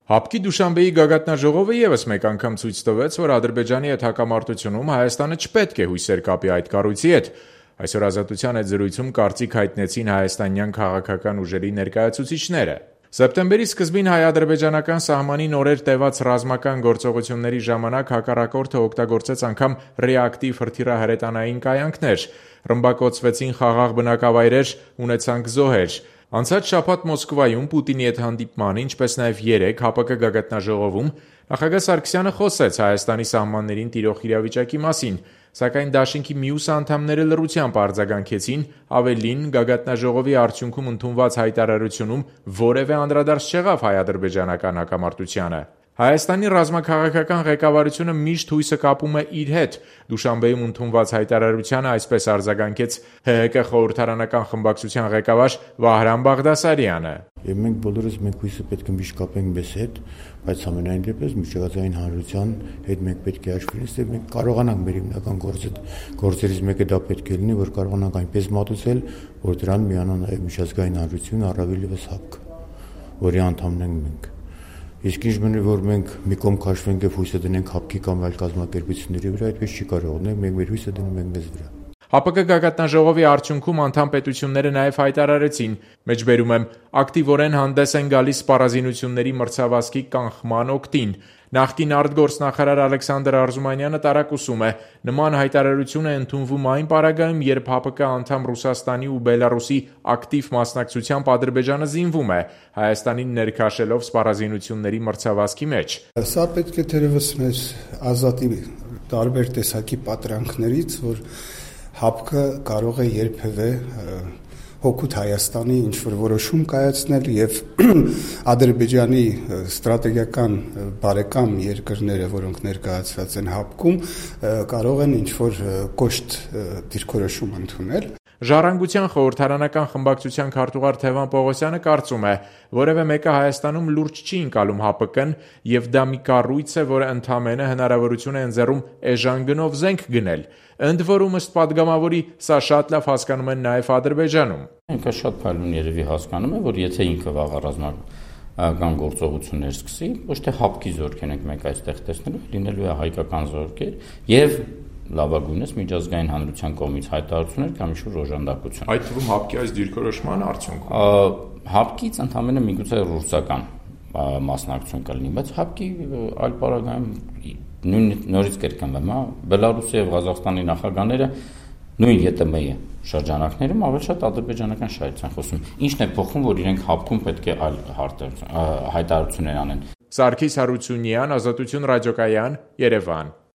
ՀԱՊԿ-ի Դուշանբեի գագաթնաժողովը ևս մեկ անգամ ցույց տվեց, որ Ադրբեջանի հետ հակամարտությունում Հայաստանը չպետք է հույսեր կապի այդ կառույցի հետ։ Այսօր Ազատության հետ զրույցում կարծիք հայտնեցին հայաստանյան քաղաքական ուժերի ներկայացուցիչները։ Սեպտեմբերի սկզբին հայ-ադրբեջանական սահմանի նորեր տևած ռազմական գործողությունների ժամանակ հակառակորդը օգտագործեց անգամ ռեակտիվ հրթիռահրետանային կայանքներ, ռմբակոծվեցին խաղաղ բնակավայրեր, ունեցանք զոհեր։ Անցած շաբաթ Մոսկվայում Պուտինի հետ հանդիպման, ինչպես նաև երեկ ՀԱՊԿ գագաթնաժողովում նախագահ Սարգսյանը խոսեց Հայաստանի սահմաններին տիրող իրավիճակի մասին, սակայն դաշինքի մյուս անդամները լռությամբ արձագանքեցին, ավելին, գագաթնաժողովի արդյունքում ընդունված հայտարարությունում որևէ անդրադարձ չեղավ հայ-ադրբեջանական հակամարտությանը։ Հայաստանի ռազմաքաղաքական ղեկավարությունը միշտ հույսը կապում է իր հետ։ Դուշանբեում ընդունված հայտարարությանը այսպես արձագանքեց ՀՀԿ խորհրդարանական խմբակցության ղեկավար Վահրամ Բաղդասարյանը։ Եվ մենք բոլորս հույսը պետք է միշտ կապենք մեզ հետ, բայց ամենայն դեպս միջազգային հանրության հետ մենք պետք է հաշվի ունենանք, եւ մենք կարողանանք մեր հիմնական գործերից մեկը դա պետք է լինի, որ կարողանանք այնպես մատուցել, որ դրան միանա նաեւ միջազգային հանրությունը, առավել ևս ՀԱՊԿ, որի անդամն ենք մենք։ Իսկ ինչ մնի, որ մենք մի կողմ քաշվենք եւ հույսը դնենք ՀԱՊԿ-ի կամ այլ կազմակերպությունների վրա, այդպես չի կարող լինել, մենք մեր հույսը դնում ենք մեզ վրա։ ՀԱՊԿ գագաթնաժողովի արդյունքում անդամ պետությունները նաև հայտարարեցին, մեջբերում եմ, ակտիվորեն հանդես են գալիս սպառազինությունների մրցավազքի կանխման օգտին։ Նախկին արտգործնախարար Ալեքսանդր Արզումանյանը տարակուսում է, նման հայտարարություն է ընդունվում այն պարագայում, երբ ՀԱՊԿ անդամ Ռուսաստանի ու Բելարուսի ակտիվ մասնակցությամբ Ադրբեջանը զինվում է, Հայաստանին ներքաշելով սպառազինությունների մրցավազքի մեջ։ Սա պետք է թերևս մեզ ազատի տարբեր տեսակի պատրանքներից, որ ՀԱՊԿ կարող է երբևէ հօգուտ Հայաստանի ինչ-որ որոշում կայացնել եւ Ադրբեջանի ստրատեգիական բարեկամ երկրները, որոնք ներկայացված են ՀԱՊԿ-ում, կարող են ինչ-որ կոշտ դիրքորոշում ընդունել։ Ժառանգության խորհրդարանական խմբակցության քարտուղար Թևան Պողոսյանը կարծում է, որևէ մեկը Հայաստանում լուրջ չի ընկալում ՀԱՊԿ-ն եւ դա մի կառույց է, որը ընդամենը հնարավորություն է ընձեռում էժան գնով զենք գնել։ Ընդ որում ըստ падգամավորի սա շատ լավ հասկանում են նաև Ադրբեջանում։ Ինքը շատ փայլուն երևի հասկանում է, որ եթե ինքը վաղ ռազմական գործողություններ սկսի, ոչ թե ՀԱՊԿ-ի զորքեր ենք մենք այստեղ տեսնելու, լինելու է հայկական զորքեր եւ լավագույնս միջազգային հանրության կողմից հայտարարություններ կամ ինչ-որ օժանդակություն։ Այդ թվում ՀԱՊԿ-ի այս դիրքորոշման արդյունքում ՀԱՊԿ-ից ընդամենը միգուցե ռուսական մասնակցություն կլինի, բայց ՀԱՊԿ-ի այլ պարագայում նորից կրկնվեմ, Բելարուսի եւ Ղազախստանի նախագահները նույն ԵՏՄ-ի շրջանակներում ավելի շատ ադրբեջանական շահից են խոսում։ Ինչն է փոխվում, որ իրենք ՀԱՊԿ-ում պետք է այլ հայտարարություններ անեն։ Սարգիս Հարությունյան, Ազատություն ռադիոկայան, Երևան։